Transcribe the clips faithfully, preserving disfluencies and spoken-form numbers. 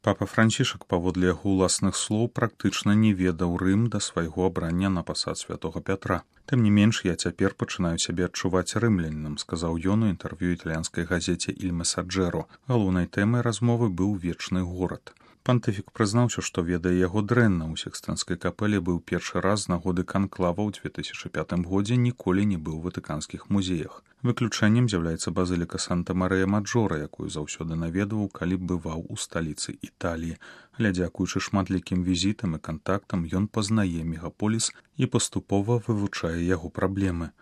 Папа Францішак, паводле яго ўласных слоў, практычна не ведаў Рым да свайго абрання на пасад святога Пятра. Тым не менш, я цяпер пачынаю сябе адчуваць рымлянінам, сказаў ён у інтэрв'ю італьянскай газеце «Иль Месаджэро». Галоўнай тэмай размовы быў вечны горад. Пантыфік прызнаўся, што ведае яго дрэнна. У Сікстынскай капэле быў першы раз з нагоды канклава ў две тысячы пятым годзе, ніколі не быў у ватыканскіх музеях. Выключэннем з'яўляецца базыліка Санта-Марыя-Маджора, якую заўсёды наведваў, калі бываў у сталіцы Італіі. Але дзякуючы шматлікім візітам і кантактам ён пазнае мегаполіс і паступова вывучае яго праблемы.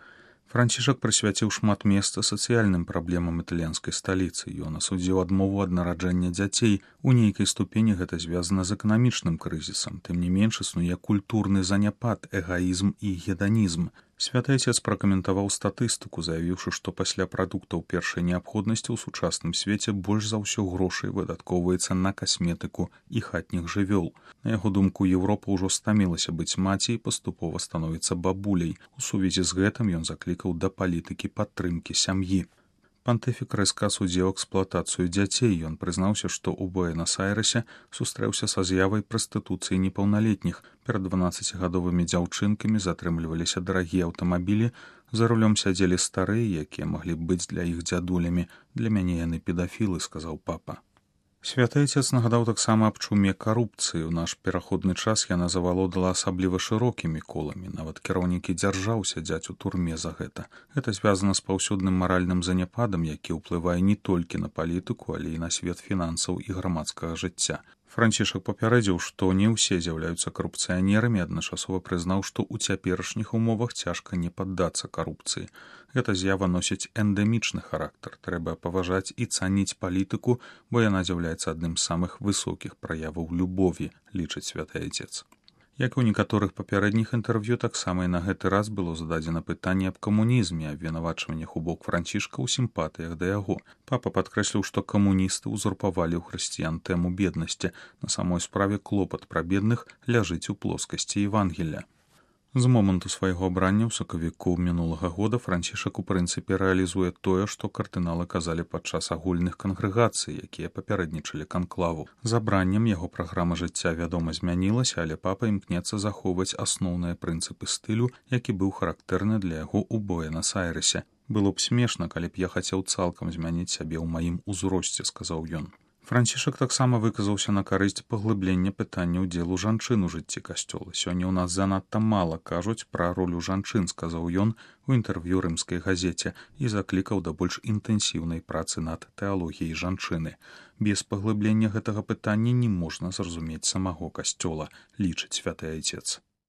Францішак прысвяціў шмат месца сацыяльным праблемам італьянскай сталіцы. Ён асудзіў адмову ад нараджэння дзяцей. У нейкай ступені гэта звязана з эканамічным крызісам. Тым не менш існуе культурны заняпад, эгаізм і геданізм. Святы Айцец пракаментаваў статыстыку, заявіўшы, што пасля прадуктаў першай неабходнасці ў сучасным свеце больш за ўсё грошай выдаткоўваецца на касметыку і хатніх жывёл. На яго думку, Еўропа ўжо стамілася быць маці і паступова становіцца бабуляй. У сувязі з гэтым ён заклікаў да палітыкі падтрымкі сям'і. Пантыфік рэзка асудзіў эксплуатацыю дзяцей. Ён прызнаўся, што ў Буэнас-Айрэсе сустрэўся са з'явай прастытуцыі непаўналетніх. Перад дванаццацігадовымі дзяўчынкамі затрымліваліся дарагія аўтамабілі, за рулём сядзелі старыя, якія маглі б быць для іх дзядулямі. Для мяне яны педафілы, сказаў папа. Святы Айцец нагадаў таксама аб чуме карупцыі. У наш пераходны час яна завалодала асабліва шырокімі коламі. Нават кіраўнікі дзяржаў сядзяць у турме за гэта. Гэта звязана з паўсюдным маральным заняпадам, які ўплывае не толькі на палітыку, але і на свет фінансаў і грамадскага жыцця. Францішак папярэдзіў, што не ўсе з'яўляюцца карупцыянерамі, адначасова прызнаў, што ў цяперашніх умовах цяжка не паддацца карупцыі. Гэта з'ява носіць эндэмічны характар. Трэба паважаць і цаніць палітыку, бо яна з'яўляецца адным з самых высокіх праяваў любові, лічыць святы Айцец. Як і ў некаторых папярэдніх інтэрв'ю, таксама і на гэты раз было зададзена пытанне аб камунізме, абвінавачваннях у бок Францішка ў сімпатыях да яго. Папа падкрэсліў, што камуністы ўзурпавалі ў хрысціян тэму беднасці. На самой справе клопат пра бедных ляжыць у плоскасці Евангелля. З моманту свайго абрання ў сакавіку мінулага года Францішак у прынцыпе рэалізуе тое, што кардыналы казалі падчас агульных кангрэгацый, якія папярэднічалі канклаву. З абраннем яго праграма жыцця, вядома, змянілася, але папа імкнецца захоўваць асноўныя прынцыпы стылю, які быў характэрны для яго ў Буэнас-Айрэсе. Было б смешна, калі б я хацеў цалкам змяніць сябе ў маім узросце, сказаў ён. Францішак таксама выказаўся на карысць паглыблення пытання ўдзелу жанчын у жыцці касцёла. Сёння ў нас занадта мала кажуць пра ролю жанчын, сказаў ён у інтэрв'ю рымскай газеце і заклікаў да больш інтэнсіўнай працы над тэалогіяй жанчыны. Без паглыблення гэтага пытання не можна зразумець самого касцёла, лічыць святы Айцец.